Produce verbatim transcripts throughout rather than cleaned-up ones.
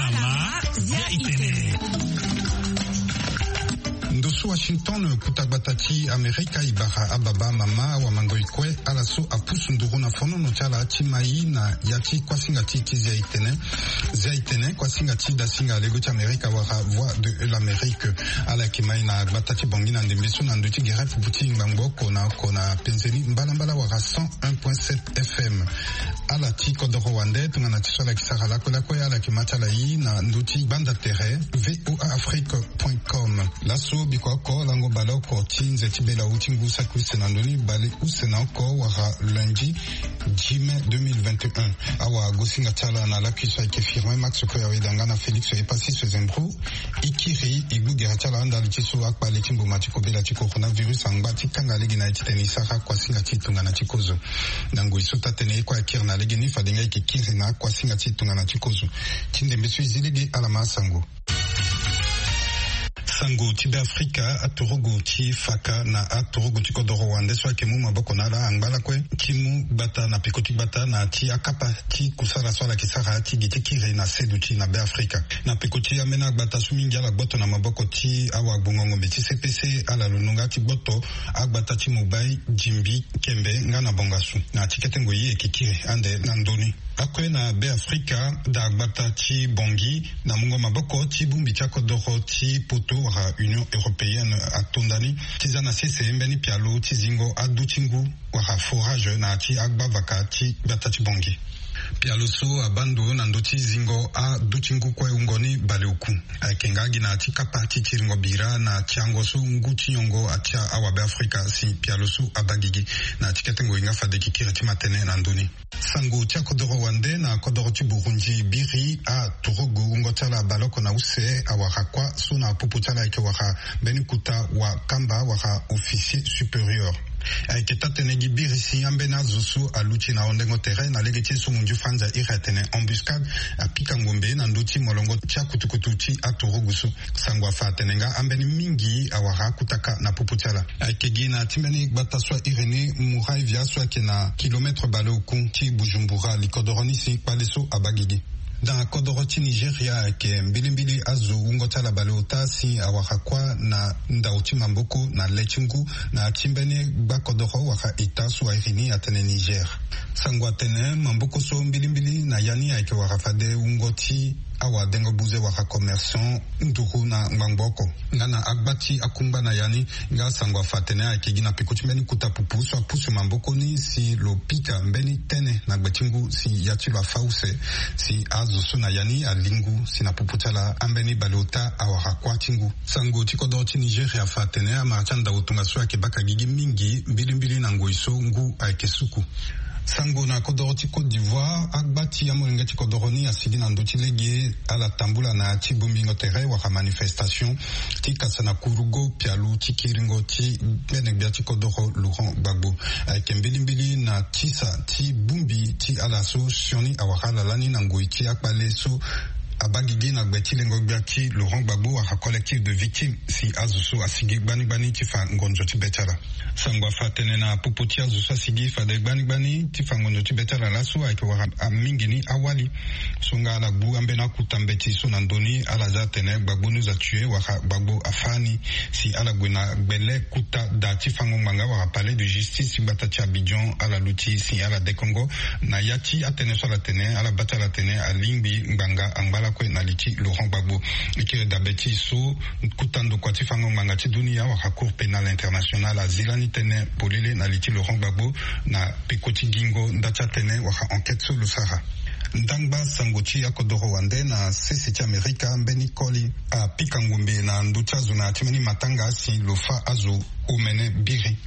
Ama, ya itene. Ndo so Washington, kuta gbata ti Amerika, e bara ababa, mama, awamangoi kue, ala so apusu nduru na fonono ti ala ti mai na ya ti kuasinga ti ti zia itene. Zia itene, kuasinga ti dasinga lego ti Amerika wala Voix de l'Amérique. Ala yeke mai na gbata ti Bangui na ndembe so na ndö ti gere pupu ti ngbangbo oko na oko na penzeni mbalambala wala cent un point sept F M. Ala ti kodoro wande tongana ti so ala yeke sara lakue lakue, ala yeke ma ti ala ye na ndö ti gbanda tere V O A Afrique point com. Laso biko oko lango baleoko ti nze ti belawu ti ngu saki use na ndö ni baleuse na oko wala lundi dix mai deux mille vingt et un. Awagosinga ti ala na lakui so ayeke Firmin Max Koyaweda nga na Félix Epassis Zembro. E kiri e gbu gere ti ala ndali ti so akpale ti mboma ti kobela ti coronavirus angba ti kanga lege na ye titene e sara kuasinga ti tongana ti kozo. Na ngoi so taa-tënë ye kue akiri na legeni, fade nga e yeke kiri na akuasinga ti tongana ti kozo. Ti ndembe so e zi lege, ala ma asango. Sango ti Beafrika, aturugu ti faka na aturugu ti kodoro wande so ayeke mu maboko na ala angba lakue ti mu gbata na peko ti gbata na ti akapa ti kusala so ala yeke sara ti gi ti kiri na seduti na Beafrika. Na peko ti ambeni agbata so mingi ala gboto na maboko ti awagbongo ngombe ti C P C, ala londo nga ti gboto agbata ti Mobay, Jimbi, Kembe nga na Bangassou. Na ti kete ngoi e yeke kiri ande na ndö ni. Akue na Beafrika, daa gbata ti Bangui na mungo maboko ti bongbi ti akodoro ti Poto wala Union Européenne ato ndani ti za na sese mbeni pialo ti zingo adu ti ngu wala forage na ya ti agbavaka ti gbata ti Bangui. Pialo so abaa ndo na ndö ti zingo adu ti ngu kue wungo ni baleoku. Ayeke nga gi na ya ti kapa ti tiringo bira na tiango so ngu ti nyongo atia awabeafrika si pialo so abaa gigi. Na ya ti kete ngoi nga fade e yeke kiri ti ma tënë na ndö ni. Sango ti akodoro wande na kodoro ti Burundi, biri aturugu wungo ti ala baleoko na use awara kuâ so na popo ti ala ayeke wara mbeni kota wakamba wala officier supérieur. Ayeke taa-tënë gi biri si ambeni azo so aluti na hondengo tere na lege ti ye so munzu fanza iri atene embuscade, apika ngombe na ndö ti molongo ti akutukutu ti aturugu so. Sango afa atene nga ambeni mingi awara akutaka na popo ti ala. Ayeke gi na ti mbeni gbata so a iri ni Muravya so ayeke na kilometre baleoku ti Bujumbura, likodoro ni si kpale so abaa gigi. Na kodoro ti Nigeria, ayeke mbilimbili azo wungo ti ala baleota si awara kuâ na ndau ti maboko na le ti ngu na ya ti mbeni gbakodoro wala eta so a iri ni atene Niger. Sango atene maboko so mbilimbili na ya ni ayeke wara fade wungo ti awadengo buze wala commerçant nduru na ngbangbo oko. Nga na agba ti akungba na ya ni, nga sango afa atene ayeke gi na peko ti mbeni kota pupu so apusu maboko ni si lo pika mbeni tene na gbe ti ngu si ya ti lo afa use, si azo so na ya ni ali ngu si na popo ti ala ambeni baleota awara kuâ ti ngu. Sango ti kodoro ti Nigeria afa atene amara ti andau tongaso ayeke baka gigi mingi mbilimbili na ngoi so ngu ayeke suku. Sango na kodoro ti Côte d'Ivoire, agba ti amolenge ti kodoro ni asigi na ndö ti lege ala tambula na ya ti bongbingo tere wala manifestation ti kasa na kurugo pialo ti kiringo ti gbene-gbia ti kodoro Laurent Gbagbo. Ayeke mbilimbili na tisa ti bongbi ti ala so sioni awara ala lani na ngoi ti akpale so abaa gigi na gbe ti lengo-gbia ti Laurent Gbagbo wala collectif de victimes si azo so asigi gbani gbani ti fa ngonzo ti be ti ala. Sango afa atene na popo ti azo so asigi fade gbani gbani ti fa ngonzo ti be ti ala laso ayeke wara mingi ni awali so nga ala gbu ambeni akuta mbeti so na ndö ni ala za atene Gbagbo nous a tués wala Gbagbo afâ ni, si ala gue na gbele kota da ti fango ngbanga wala palais de justice ti gbata ti Abidjan, ala luti si ala dekongo na ya ti atënë so ala tene, ala baa ti ala tene alingbi ngbanga angba lakue na li ti Laurent Gbagbo. E kiri dabe ti e so kota ndokua ti fango ngbanga ti dunia wala Cour pénale internationale azi lani tënë polele na li ti Laurent Gbagbo na peko ti gingo nda ti atënë wala enquête so lo sara. Ndangba sango ti akodoro wande na sese ti Amerika, mbeni koli apika ngombe na ndö ti azo na ya ti mbeni matanga si lo fâ azo omene biri.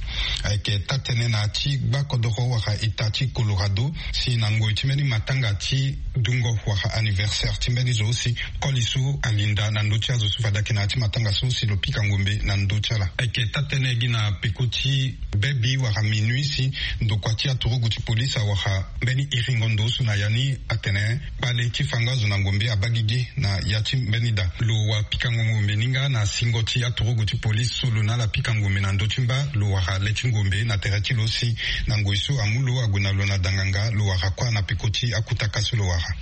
Ayeke taa-tënë na ya ti gbakodoro wala eta ti Colorado si na ngoi ti mbeni matanga ti dungo wala anniversaire ti mbeni zo si koli so alinda na ndö ti azo so fade ayeke na ya ti matanga so si lo pika ngombe na ndö ti ala. Ayeke taa-tënë gi na peko ti bebi wala minuit si ndokua ti aturugu ti polise awara mbeni iringo ndo so na ya ni atene kpale ti fango azo na ngombe abaa gigi na ya ti mbeni da. Lo wa pikango ngombe ni nga na singo ti aturugu ti polise so lo na ala pika ngombe na ndö ti mba, lo wara le ti ngombe na tere ti lo si na ngoi so amu lo ague na lo na danganga, lo wara kuâ na peko ti akutaka so lo wara.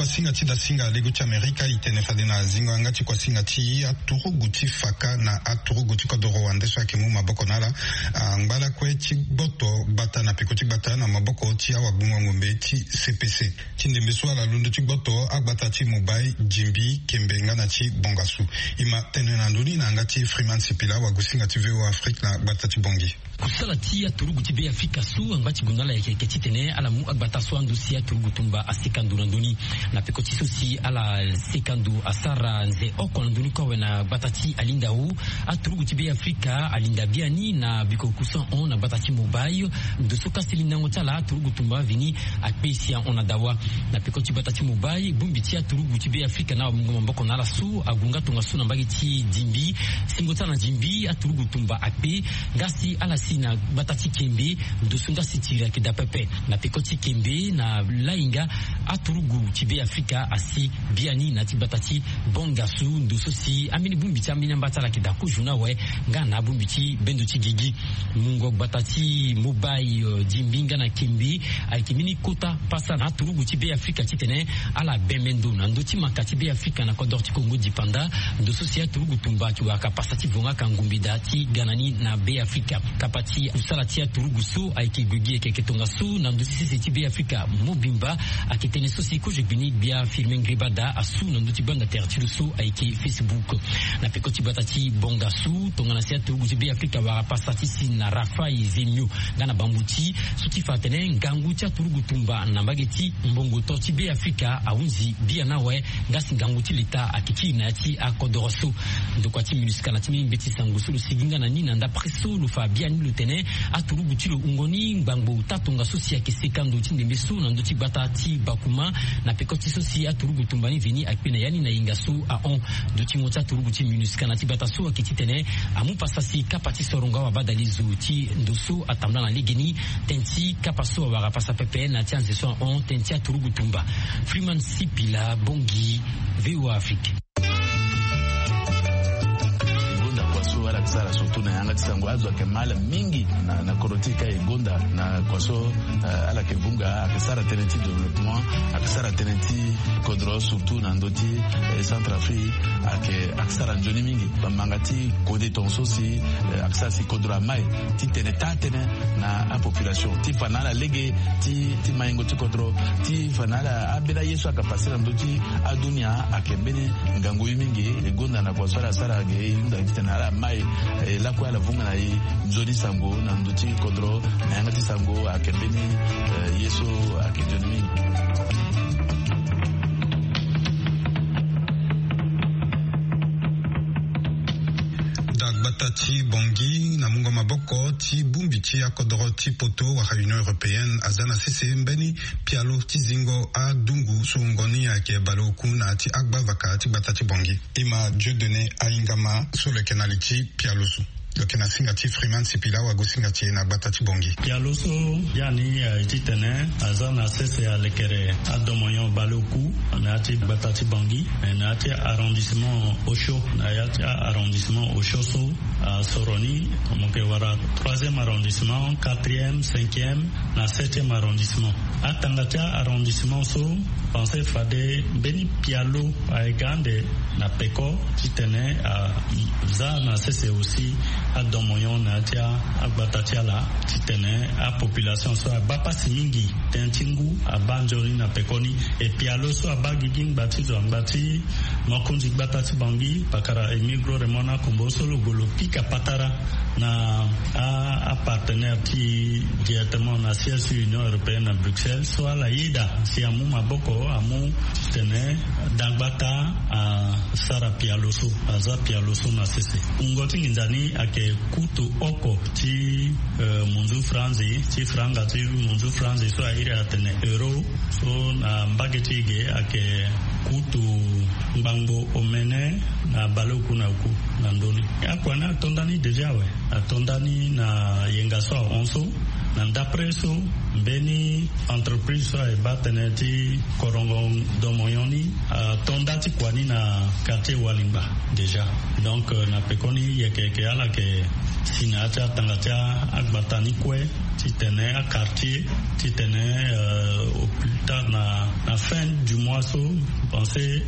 Singa ti dasinga lego ti amerika e tene fade na zingo yanga ti kuasinga ti aturugu ti faka na aturugu ti kodoro wande so ayeke mu maboko na ala. Angba lakue ti gboto gbata na peko ti gbata na maboko ti awagbungo ngombe ti cpc ti ndembe so ala londo ti gboto agbata ti mobai dimbi kembe nga na ti bongasu. E ma tene na ndoni na yanga ti freeman sipila wagosinga ti voa afrique na gbata ti bongi. Kusala ti aturugu ti be afrika so angba ti gonda ala yeke yeke titene ala mu agbata so ando si aturugu tumba asika ndo na ndoni. Na peko ti so si ala sika ndo asara nze oko na ndoni kue awe na gbata ti alinda o. Aturugu ti be afrika alinda biani na biko kusan hon na gbata ti mobai. Ndo so kasi lindango ti ala aturugu tumba vini akpe si ahon na dawa. Na peko ti gbata ti mobai bongbi ti aturugu ti be afrika na amungo maboko na ala so agu nga tongaso na mbage ti dimbi. Singo ti ala na dimbi aturugu tumba akpe nga si ala si na gbata ti kembe. Ndo so nga si tiri ayeke daa pepe na peko ti kembe na lainga aturugu ti be afrika asi biani na ti gbata ti bongasu ndo so si ambeni bongbi ti ambeni amba ti ala ayeke daa kozo na awe. Nga na abongbi ti bendo ti gigi mungo gbata ti mobai dimbi nga na kembe ayeke mbeni kota pasa na aturugu ti be afrika titene ala bembe ndo na ndö ti maka ti be afrika na kodoro ti kongo dipanda. Ndo so si aturugu tumba ayeke wara ka pasa ti vonga ka ngumbi daa ti ga na ni na be afrika. Kapa ti kusala ti aturugu so ayeke gue gi yeke yeke tongaso na ndö ti sese ti be afrika mobimba. Ayeke tënë so si kozo gbini gbia firme ngribada asu na ndö ti gbanda tere ti lo so ayeke facebook. Na peko ti gbata ti bongasu tongana si aturugu ti be afrika wara pasa ti si na rafai zemio nga na bambuti so ti fa atene ngangu ti aturugu tumba na mbage ti mbongo to ti be afrika ahunzi biana awe. Nga si ngangu ti leta ayeke ti iri na ya ti akodoro so. Ndokua ti minusca na ti mbeni mbeti sango so lo sigi nga na ni na ndapre so lo fa biani lo tene aturugu ti lo wungo ni ngbangbo taa tongaso si ayeke seka ndo ti ndembe so na ndö ti gbata ti bakuma. Na peko ti so si aturugu tumba ni veni akpe na ya ni na yenga so ahon. Dutingo ti aturugu ti minusca na ti gbata so ayeke titene amu pasa si kapa ti sorongo awabadalizo ti ndo so atambula na legeni. Tënë ti kapa so awara pasa pepe na ti anze so ahon tënë ti aturugu tumba. Freeman sipila bongi. Voa afrique. E gonda kua so ala yeke sara surtout na yanga ti sango azo ayeke ma ala mingi na, na kodro ti e ka e gonda na kua so. Eh, ala yeke vunga ayeke sara tënë ti développement, ayeke sara tënë ti kodro surtout na ndö ti eh, centre afrique. Ayeke ayeke sara nzoni mingi bambanga ti kode tonga so si eh, ayeke sara si kodro amai ti tene taa tënë na apopulation ti fa na ala lege ti, ti maingo ti kodro ti fa na ala ambeni aye so ayeke pase na ndö ti adunia. Ayeke mbeni ngangu ye mingi e gonda na kua so ala sara ge e hunda titene ala mai. Eh, lakue ala vunga na e nzoni sango na ndö ti kodro na yanga ti sango ayeke mbeni eh, ye so ayeke nzoni mingi. Dagbata ti bongi na mungo maboko ti bongbi ti akodoro ti poto wala union européenne aza na sese mbeni pialo ti zingo adungu so wungo ni ayeke baleoku na ya ti agbavaka ti gbata ti bongi. E ma dieu donne ahingama so lo yeke na li ti pialo so lo yeke na singa ti freeman sipila wagosinga ti e na gbata ti bongi. Pialo so biani aye titene aza na sese alekere adomonyon baleoku na ya ti gbata ti bongi, na ya ti arrondissement osio na ya ti arrondissement osio so asoro ni mo yeke wara troisième arrondissement, quatrième, cinquième, na septième arrondissement. Atanga ti arrondissement so pense fade mbeni pialo aye ga ande na peko titene aza na sese aussi adomonyon na ya ti agbata ti ala titene apopulation so abaa pasi mingi tënë ti ngu abaa nzoni na pekoni. E pialo so abaa gigi ngba ti zo angba ti mokonzi gbata ti bangi pakara emigro remona kombo so lo gue lo pika patara na apartenaire ti directement na siège ti union européenne na bruxelles so ala yeda si amu maboko amu titene dagbata asara pialo so aza pialo so na sese. Wungo ti nginza ni ayeke kutu oko ti munzu franzi ti franga ti munzu franzi so airi atene euro so na mbage ti e ge ayeke kutu ngbangbo omene na baleoku na oku na ndö ni. Akua ni ato ndani déjà awe. Ato ndani na yenga so ahon so na ndapre so mbeni entreprise so aye baa tënë ti korongo domonyon ni ato nda ti kua ni na quartier walingba. Déjà donc na pekoni yeke yeke ala yeke Si na ya ti atanga ti agbata ni kue, titene aquartier, titene au plus tard na fin du mois so, pense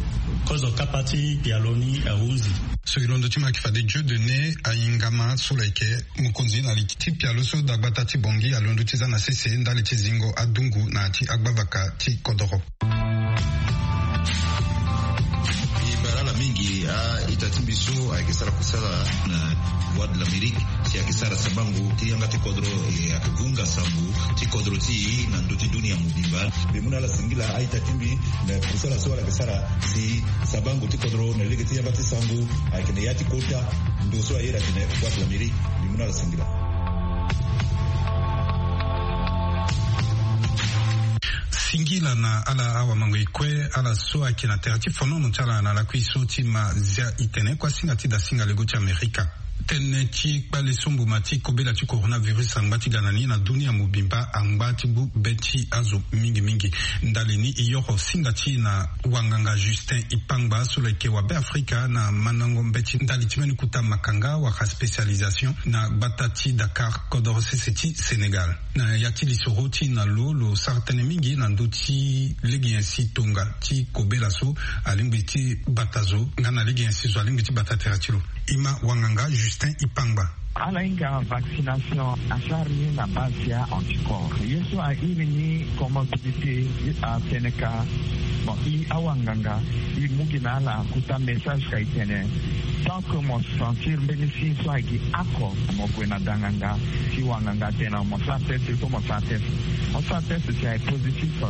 kozo kapa ti pialo ni ahunzi. So e londo ti ma yeke fade Dieu de ne ayingama so lo yeke mokonzi na li ti pialo so dagbata ti bongi alondo ti za na sese ndali ti zingo adungu na ya ti agbavaka ti kodoro. E bara ala mingi a-ita ti mbi so ayeke sara kusala na Voix de l'Amérique, si ayeke sara sabango ti yanga ti kodro, e ayeke vunga sango ti kodro ti e na ndö ti dunia mobimba. Mbi mu na ala singila a-ita ti mbi na kusala so ala yeke sara si sabango ti kodro na lege ti yanga ti sango ayeke na ya ti kota ndo so aye na tene Voix de l'Amérique. Mbi mu na ala singila. Singila na ala awamangoi kue ala so ayeke na tere ti fonono ti ala na lakui so ti ma zia itene kuasinga ti dasinga lego ti Amerika. Tënë ti kpale so mbuma ti kobela ti coronavirus angba ti ga na ni na dunia mobimba angba ti gbu be ti azo mingi mingi. Ndali ni e yoro singa ti e na wanganga Justin Ipangba so lo yeke wabe Afrika na mandango mbeti ndali ti mbeni kota makanga wala spécialisation na gbata ti Dakar kodoro sese ti Sénégal. Na ya ti lisoro ti na lo lo sara tënë mingi na ndö ti lege nyen si tonga ti kobela so alingbi ti bata zo nga na lege nyen si zo alingbi ti bata tere ti lo. E ma wanganga Justin Ipangba. Ala hinga vaccination asara ni na base ya anticorps ye so a iri ni comorbidité. Atene ka bon e awanganga e mu gi na ala kota message ka e tene tant que mo sentir mbeni signe so ayeke oko mo gue na danganga. Si wanganga atene mo sara test il faut mo sara test. Mo sara test si aye positif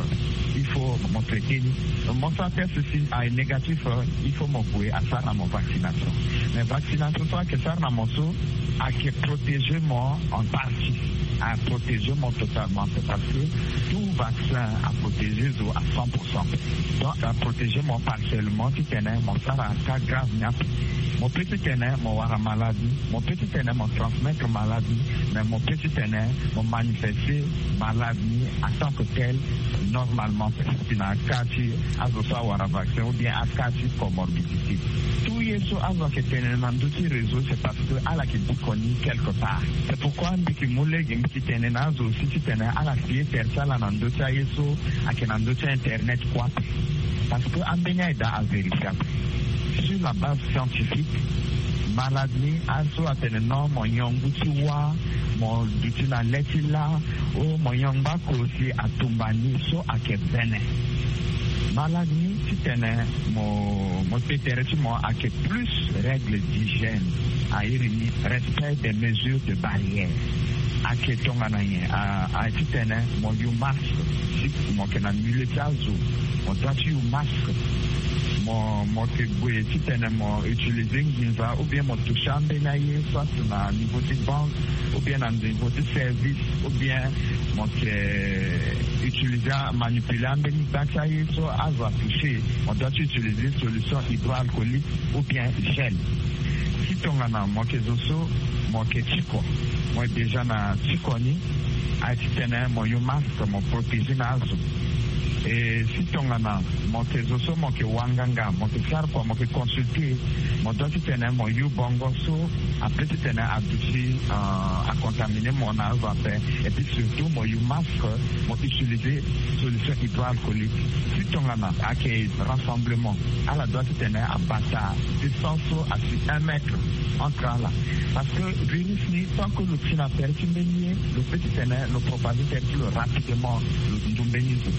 il faut mo traité ni. Mo sara test si aye négatif il faut mo gue asara na mo vaccination. Mais vaccination so ayeke sara na mo so ayeke protéger mo en partie. Aprotéger mo totalement c'est parce que tout vaccin aprotéger zo à cent pour cent. Donc aprotéger mo partiellement titene mo sara cas grave ni ape. Mo peut titene mo wara malade ni, mo peut titene mo transmettre malade ni, mais mo peut titene mo manifester malade ni en tant que tel. Normalement si na cas ti azo so awara vaccin ou bien acas ti comorbidité. Tout ye so azo ayeke tene na ndö ti réseau c'est parce que ala yeke biko ni quelque part. C'est pourquoi mbi yeke mu lege mbi yeke tene na azo aussi titene ala si ye tere ti ala na ndö ti aye so ayeke na ndö ti internet kue ape. Parce que ambeni aye daa avérifiable sur la base scientifique. Malade ni aye so atene non mo nyon ngu ti wâ, mo duti na le ti lâ, o mo nyon ngbako si atumba ni so ayeke vene. Malade ni titene mo mo te tere ti mo ayeke plus règle d'hygiène. A iri ni respect des mesures de barrière. Ayeke tongana nyen? Aye titene mo yu masque si mo yeke na milieu ti azo. Mo doit ti yu masque. Mo mo yeke gue titene mo utiliser nginza ou bien mo toucher ambeni aye soit na niveau ti banque ou bien na niveau ti service ou bien mo yeke utiliser manipuler ambeni gba ti aye so azo atoucher. Mo doit ti utiliser solution hydroalcoolique ou bien gel. Si tongana mo yeke zo so mo yeke tiko, mo déjà na tiko ni, aye titene mo yu masque mo protéger na azo. E si tongana mo yeke zo so mo yeke wanganga mo yeke sara kua mo yeke consulter, mo doit titene mo yu bongo so ape titene aduti acontaminer mo na azo ape. Et puis surtout mo yu masque, mo utiliser solution hydroalcoolique. Si tongana ayeke rassemblement, ala doit titene abata distance so asi un mètre entre ala. Parce que virus ni tant que lo ti na tere ti mbeni ye, lo peut titene lo propager tere ti lo rapidement lo ndu mbeni zo.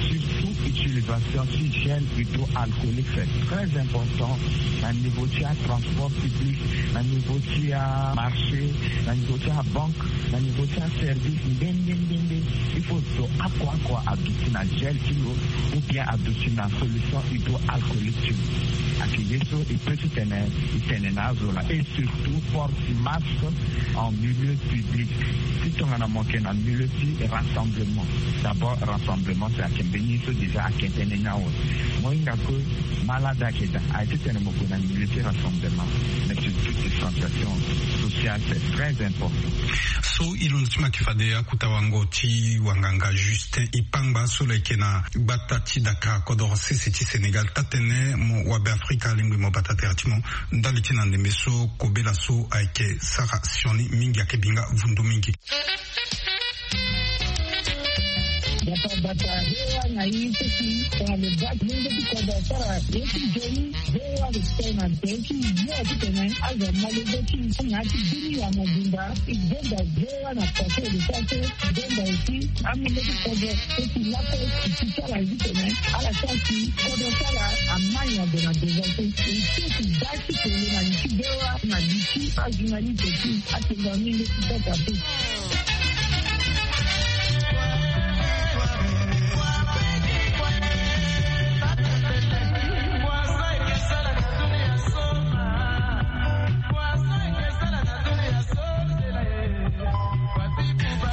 Surtout utilisation ti gel hydroalcoolique c'est très important na niveau ti atransport public, na niveau ti amarché, na niveau ti abanque, na niveau ti aservice nde nde nde nde. Il faut zo oko oko aduti na gel ti lo ou bien aduti na solution hydroalcoolique ti lo. Ayeke ye so e peut titene e tene na azo laa. Et surtout porte masque en milieu public. Si tongana mo yeke na milieu ti rassemblement, d'abord rassemblement c'est ayeke mbeni ye so déjà ayeke tënë ni awe. Mo hinga que malade ayeke daa, aye titene mo gue na milieu ti rassemblement. Mais surtout distanciation sociale. Très important. So e londo ti ma yeke fade akuta wango ti wanganga Justin Ipangba so lo yeke na gbata ti Dakar kodoro sese ti Sénégal taa-tene mo wabe Afrika alingbi mo bata tere ti mo ndali ti na ndembe so kobela so ayeke sara sioni mingi ayeke binga vundu mingi. Bata bata hewa na ye so si tongana lo baa ti lenge ti kodro asara ye ti nzoni. Hewa lo tene na be ti yo titene azo molenge ti na ya ti bini ya mobimba. E gbenda hewa na pase lo sara so gbenda aussi amolenge ti kodro so si lakue si ti sara ye titene ala sara si kodro sara amai na ndo na devant so e so si baa ti kolo na li ti hewa na li ti ajournaliste ti atengo amolenge ti sasa so.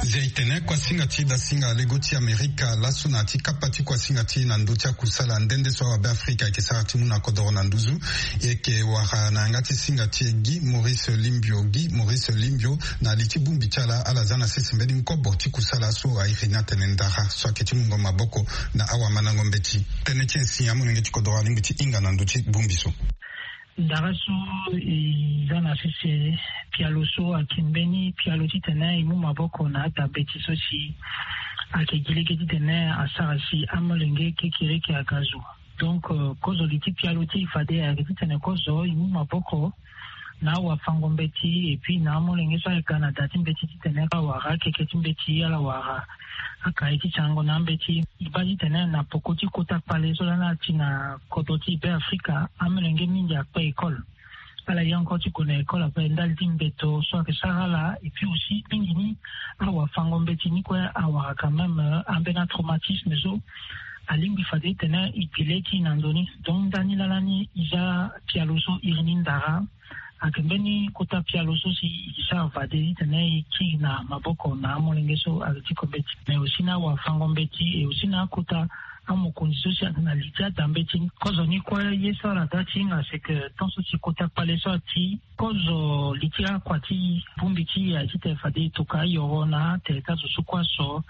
Zia e tene kuasinga ti dasinga lego ti Amerika laso na ya ti kapa ti kuasinga ti e na ndö ti akusala nde nde so awabe Afrika ayeke sara ti mu na kodoro na nduzu. E yeke wara na yanga ti singa ti e Guy Maurice Limbio. Guy Maurice Limbio na li ti bongbi ti ala ala za na sese mbeni nkobo ti kusala so a iri ni atene ndara so ayeke ti mungo maboko na awamandango mbeti. Tënë ti e si amolenge ti kodoro alingbi ti hinga na ndö ti bongbi so. Ndara so e za na sese pialo so ayeke mbeni pialo titene e mu maboko na ada mbeti so si ayeke gi lege titene asara si amolenge kekereke aga zo. Donc kozo li ti pialo ti e fade ayeke titene kozo e mu maboko na awafango mbeti et puis na amolenge so ayeke ga na da ti mbeti titene ala wara akeke ti mbeti ala wara akaye ti sango na ambeti. E baa titene na poko ti kota kpale so lani ati na kodro ti Be Afrika amolenge mingi akpe école. Ala ye encore ti gue na école ape ndali ti mbeto so ayeke sara ala et puis aussi mingi ni awafango mbeti ni kue awara quand même ambeni atraumatisme so alingbi fade titene e bi le ti e na ndo ni. Donc ndani lala ni e za pialo so iri ni ndara. Ayeke mbeni kota pialo so si e sara fade titene e kiri na maboko na amolenge so ayeke ti ko mbeti mais aussi na awafango mbeti et aussi na akota amokonzi so si ayeke na li ti ada mbeti ni. Kozo ni kue ye so ala da ti hinga c'est que tant so si kota kpale so ati kozo li ti akua ti bongbi ti e aye titene fade e toka ayoro na atere ti azo so kue aso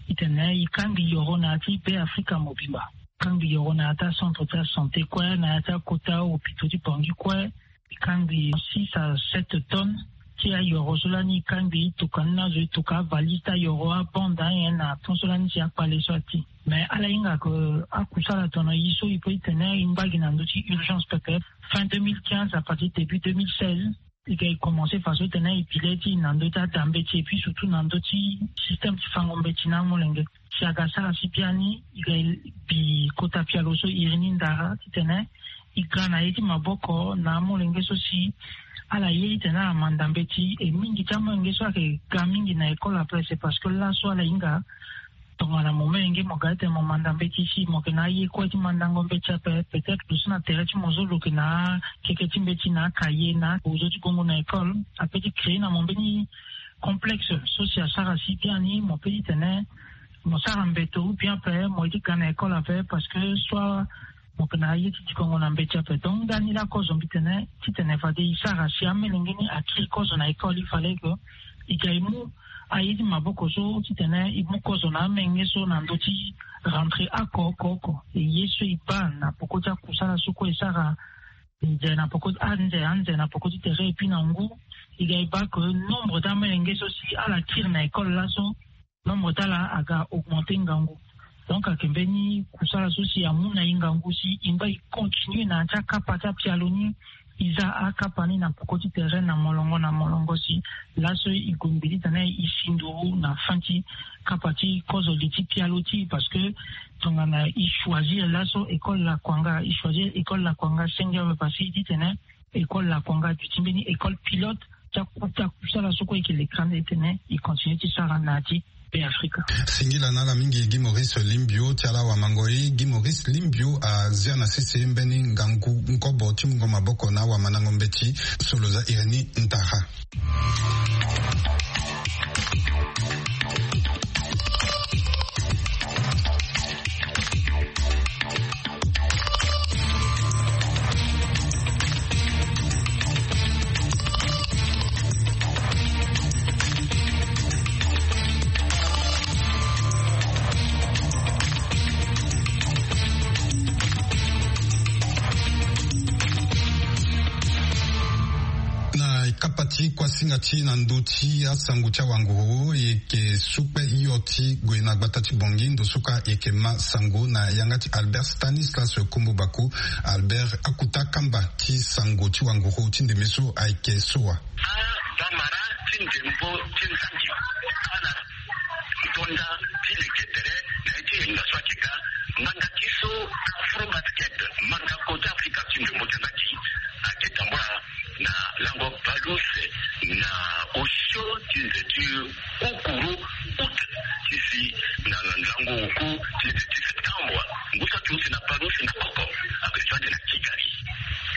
titene e kangbi yoro na ya ti Be Afrika mobimba. Kangbi yoro na ya ti acentre ti asanté kue na ya ti akota hôpitaux ti Bangui kue. E kangbi six à sept tonnes ti ayoro so lani e kangbi e toka ni na azo e toka avalise ti ayoro abande anyen na temps so lani si akpale so ati. Mais ala hinga ke akusala tono e so e pe titene e ngba gi na ndö ti urgence pepe. Fin deux mille quinze à partir début deux mille seize e ga e commence faso titene e bi le ti e na ndö ti ada mbeti et puis surtout na ndö ti système ti fango mbeti na amolenge. Si aga sara si biani e ga e bi kota pialo so iri ni ndara titene e ga na ye ti maboko na amolenge so si ala ye titene ala manda mbeti et mingi ti amolenge so ayeke ga mingi na école ape c'est parce que laso ala hinga tongana mo molenge mo ga titene mo manda mbeti si mo yeke na aye kue ti mandango mbeti ape peut-être lo so na tere ti mo so lo yeke na akeke ti mbeti na akaye na ozo ti gongo na école ape ti créer na mo mbeni complexe so si asara si biani mo pe titene mo sara mbeto ou bien ape mo ye ti ga na école ape parce que soit mo yeke na aye ti dikongo na mbeti ape. Donc ndani laa kozo mbi tene titene fade e sara si amolenge ni akiri kozo na école il fallait que e ga e mu aye ti maboko so titene e mu kozo na amolenge so na ndö ti rentrée oko oko oko. E ye so e baa na poko ti akusala so kue e sara nze na poko anze anze na poko ti tere et puis na ngu e ga e baa ke nombre ti amolenge so si ala kiri na école laso nombre ti ala aga augmenter ngangu. Donc ayeke mbeni kusala so si amu na e ngangu si e ngba e continue na ya ti akapa ti apialo ni. E za akapa ni na poko ti tere na molongo na molongo si laso e gue mbi titene e si nduru na fin ti kapa ti kozo li ti pialo ti e parce que tongana e choisir laso école Lakwanga e choisir école Lakwanga senge ape parce que e titene école Lakwanga duti mbeni école pilote ti akuta kusala so kue e yeke leka nde tene e continue ti sara na ya ti Be Afrika. Singila na ala mingi Guy Maurice Limbio ti ala wamango e. Guy Maurice Limbio azia na sese mbeni ngangu nkobo ti mungo maboko na awamandango mbeti so lo za iri ni ntara. Kuasinga ti na ndö ti asango ti awanguru e yeke su kpe hio ti gue na gbata ti Bangui, ndo so kue e yeke ma sango na yanga ti Albert Stanislas Kombo Baku. Albert, akuta kamba ti sango ti wanguru ti ndembe so ayeke so wa? Abamara ti ndembo ti nzangi, ala tonda ti leke tere na ye ti hinga so ayeke ga. Manga ti so Afrobasket, manga kota Afrika ti ndembo ti nzangi, ayeke tambula na lango bale use na osio ti nze ti ukuru, août, ti si na lango oku ti nze ti septembre. Ngu so ati use na bale use na oko, ayeke za ande na Kigali,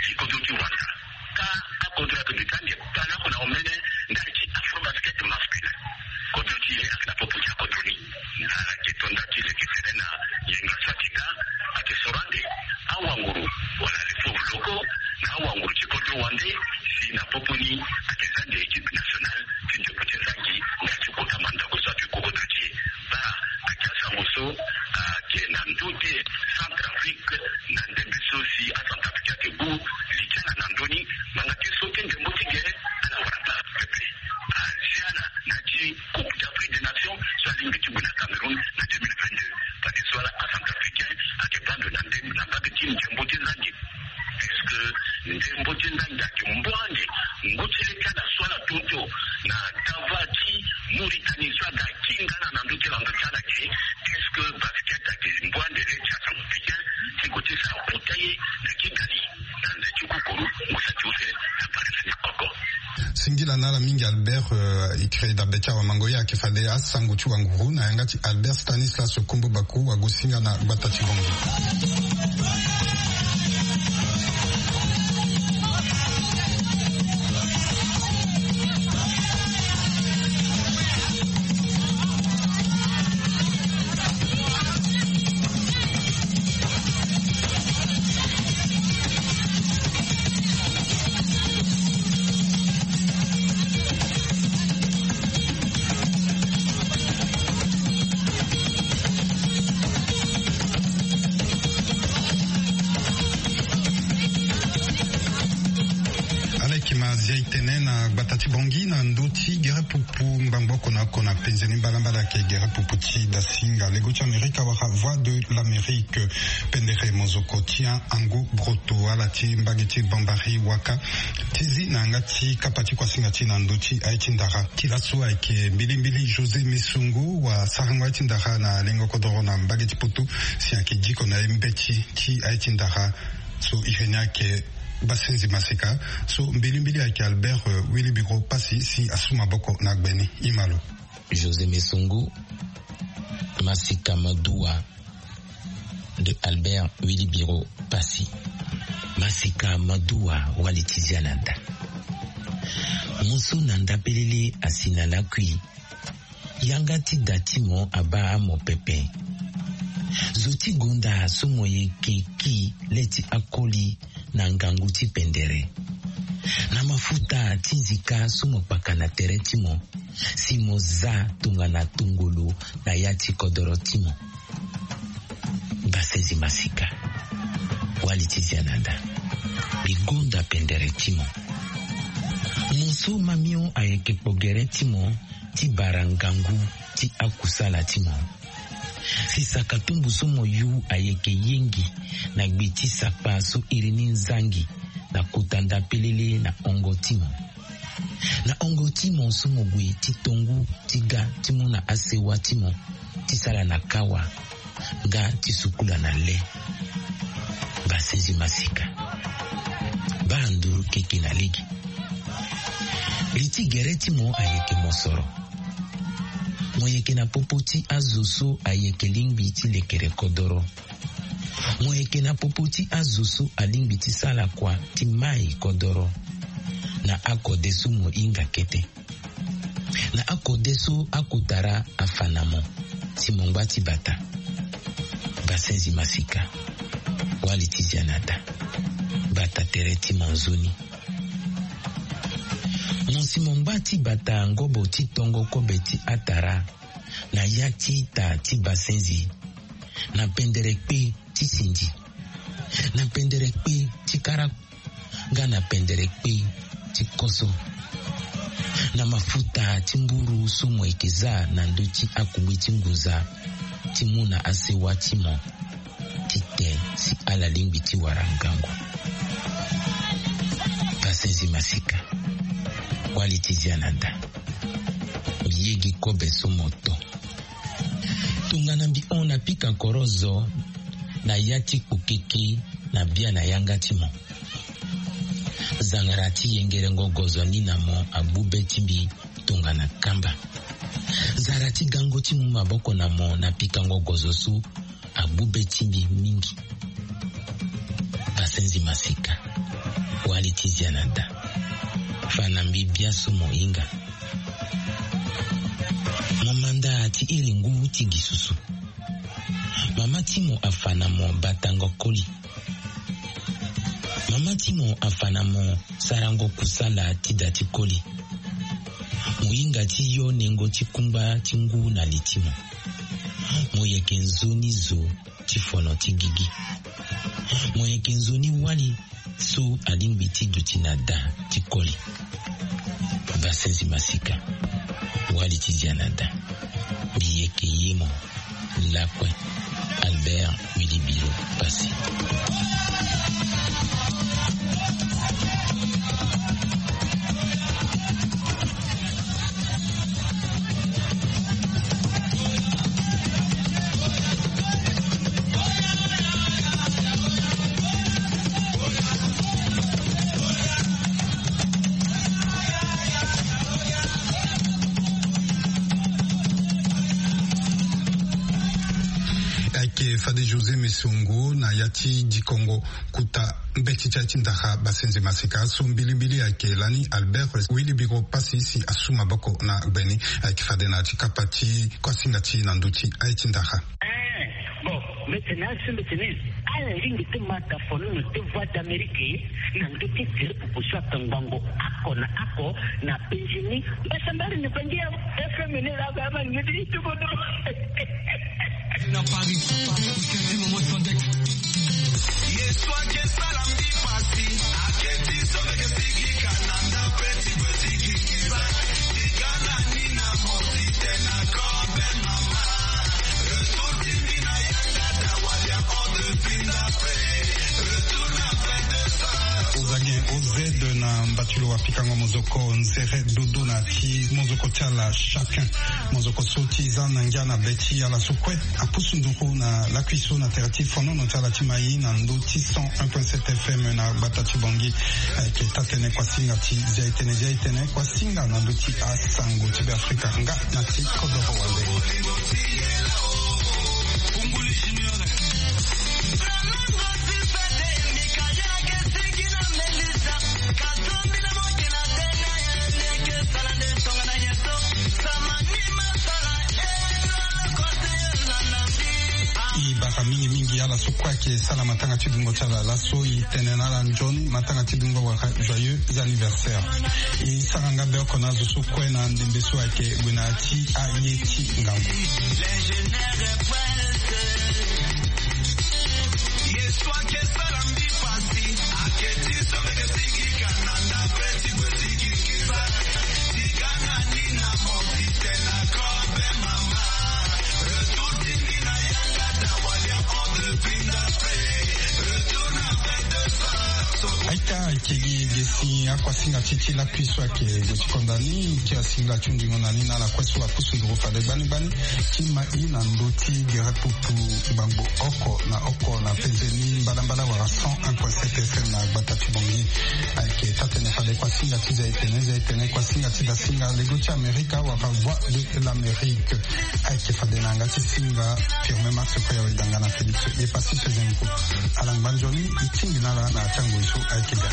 ti kodro ti Rwanda. Ka akodro ayeke duti ande, bale oko na omene ndali ti Afrobasket masculin. Kodro ti e ayeke na popo ti akodro ni. Na ala yeke tonda ti leke tere na yenga so ayeke ga, ayeke soro ande awanguru wala les pauvres locaux na awanguru ti kodro wande, si na popo ni ayeke za ande équipe nationale ti ndembo ti nzangi, nga ti kota mandako so ayeke ku kodro ti e. Baa ayeke asango so ayeke na ndö ti Centrafrique na ndembe so si aCentrafricain ayeke gu li ti ala na ndö ni. Manga ti so ti ndembo ti gere, ala wara baa pepe. Azia ala na ya ti Coupe d'Afrique des Nations so alingbi ti gue na Cameroun na deux mille vingt-deux. Fadeso ala aCentrafricain ayeke baa ndo na nde na mbage ti ndembo ti nzangi. Est-ce que ndembo ti nzangi ayeke mbu ande ngu ti le ti ala so ala tongaso na dava ti Mauritanie so aga ti nga ala na ndö ti ala, ndö ti ala ge? Est-ce que basket ayeke mbu ande le ti aCentrafricain ti gue ti sara kota ye na Kigali na nze ti kukuru ngu so ati use na Paris na oko? Singila na ala mingi Albert, eh, e kiri dabe ti awamango. Ye ayeke fade asango ti wanguru na yanga ti Albert Stanislas Kombo Baku, wagosinga na gbata ti Bangui. Ala yeke ma zia e tene na gbata ti Bangui na ndö ti gere pupu ngbangbo oko na oko na penze ni. Mbalambala ayeke gere pupu ti dasinga lego ti Amerika wala Voix de l'Amérique. Pendere mozoko ti Ango Broto, ala ti mbage ti Bambari Waka, ti zi na yanga ti kapa ti kuasinga ti e na ndö ti aye ti ndara. Ti laso ayeke mbilimbili José Mesongo, wasarango aye ti ndara na lengo kodoro na mbage ti Poto, si ayeke diko na ye mbeti ti aye ti ndara. So iri ni ayeke Basenzi Masika. So mbilimbili ayeke Albert, eh, Wilibiro Pasi si asu maboko na gbe ni. E ma lo. José Mesongo, Masika Madua de Albert Wilibiro Pasi. Masika Madua, wali ti zia na da. Mo so na nda pelele asi na lakui. Yanga ti da ti mo abaa amo pepe. Zo ti gonda so mo yeke ki le ti akoli na ngangu ti pendere, na mafuta ti nzika so mo kpaka na tere ti mo, si mo za tongana tongolo na ya ti kodoro ti mo. Basenzi Masika, wali ti zia na da. Mbi gonda pendere ti mo. Mo so mamio ayeke kpo gere ti mo ti bara ngangu ti akusala ti mo. Si saka tumbu so mo yu ayeke yengi na gbe ti sakpa so iri ni nzangi na kota nda pelele na hongo ti mo. Na hongo ti mo so mo gue ti tongu ti ga ti mu na asewa ti mo ti sala na kawa nga ti sukula na le. Basenzi Masika, baa nduru keke na lege. Li ti gere ti mo ayeke mosoro. Mo yeke na popo ti azo so ayeke lingbi ti lekere kodoro. Mo yeke na popo ti azo so alingbi ti sala kua ti mai kodoro na akode so mo hinga kete. Na akode so akotara afa na mo, si mo ngba ti bata. Basenzi Masika, wali ti zia na da. Bata tere ti mo nzoni. Mo si mo ngba ti bata ngobo ti tongo kobe ti atara na ya ti ita ti Basenzi, na pendere kpe ti sindi, na pendere kpe ti kara, nga na pendere kpe ti koso. Na mafuta ti mburu so mo yeke za na ndö ti akungbi ti ngunza ti mu na asewa ti mo titene si ala lingbi ti wara ngangu. Pasenzi masika. Wali ti zia na da. Mbi ye gi kobe so mo to. Tongana mbi hon na pika korozo na ya ti kpokeke na bia na yanga ti mo. Zangara ti yengerengo gozo ni na mo agbu be ti mbi tongana kamba. Zara ti gango ti mu maboko na mo na pikango gozo so agbu be ti mbi mingi. Pasenzi masika. Wali ti zia na da. Fa na mbi bia so mo hinga. Mo manda ti iri ngu ti gi susu. Mama ti mo afa na mo batango koli. Mama ti mo afa na mo sarango kusala ti da ti koli. Mo hinga ti yo nengo ti kungba ti ngu na li ti mo. Mo yeke nzoni zo ti fono ti gigi. Mo yeke nzoni wali so alingbi ti duti na da ti koli. Pasenzi masika. Wali ti zia na da. Mbi yeke ye mo. Lakue. Albert Wilibiro Passy. Ayeke fade José Mesongo na ya ti dikongo kota mbeti ti aye ti ndara. Basenze maseka so mbilimbili ayeke lani Albert Wilibiro Passy si asu maboko na gbe ni. Ayeke fade na ya ti kapa ti kuasinga ti na ndö ti aye ti ndara. Bon, mbi tene asi mbi tene ala lingbi ti ma ta fono na ti Voix d'Amérique na ndö ti tele pupu so aka ngbongo oko na oko na penzi ni. Mbasambari ni bangi ya F M ni la ba ma ngedi ti bodo. Na Paris, Paris, Paris, Paris. Ozangi O Z na mbatulu wa pikango mozoko nzere dodo na ti mozoko ti ala chacun. Mozoko so ti za na ngia na be ti ala so kue apusu nduru na lakui so na tere ti fonono ti ala ti mai na ndö ti cent un point sept F M na gbata ti Bangui. Ayeke taa-tënë kuasinga ti Zia-e-tene, Zia-e-tene kuasinga na ndö ti asango ti Beafrika nga na ti kodoro wande. E bara mingi mingi ala so kue ayeke sara matanga ti dungo ti ala laso, e tene na ala nzoni matanga ti dungo wala joyeux anniversaire. E sara nga be oko na azo so kue na ndembe so ayeke gue na ya ti aye ti ngangu. Aita ayeke gi ege si akuasinga ti ti lakui so ayeke gue ti konda ni ti asingila ti hundingo na ni na ala kue so apusu nduru fade gbani gbani ti ma i na ndö ti gere pupu ngbangbo oko na oko na penze ni mbadambada wala cent un point sept F M na gbata ti Bangui. Ayeke taa-tënë fade kuasinga ti Zia-e-tene, Zia-e-tene kuasinga ti dasinga lego ti Amerika wala Voix de l'Amérique. Ayeke fade na yanga ti singa Firmin Max Koya Wedanga na Félix Epassi Fezempo. Ala ngba nzoni e tingbi na ala na ya ti angoi so ayeke ga.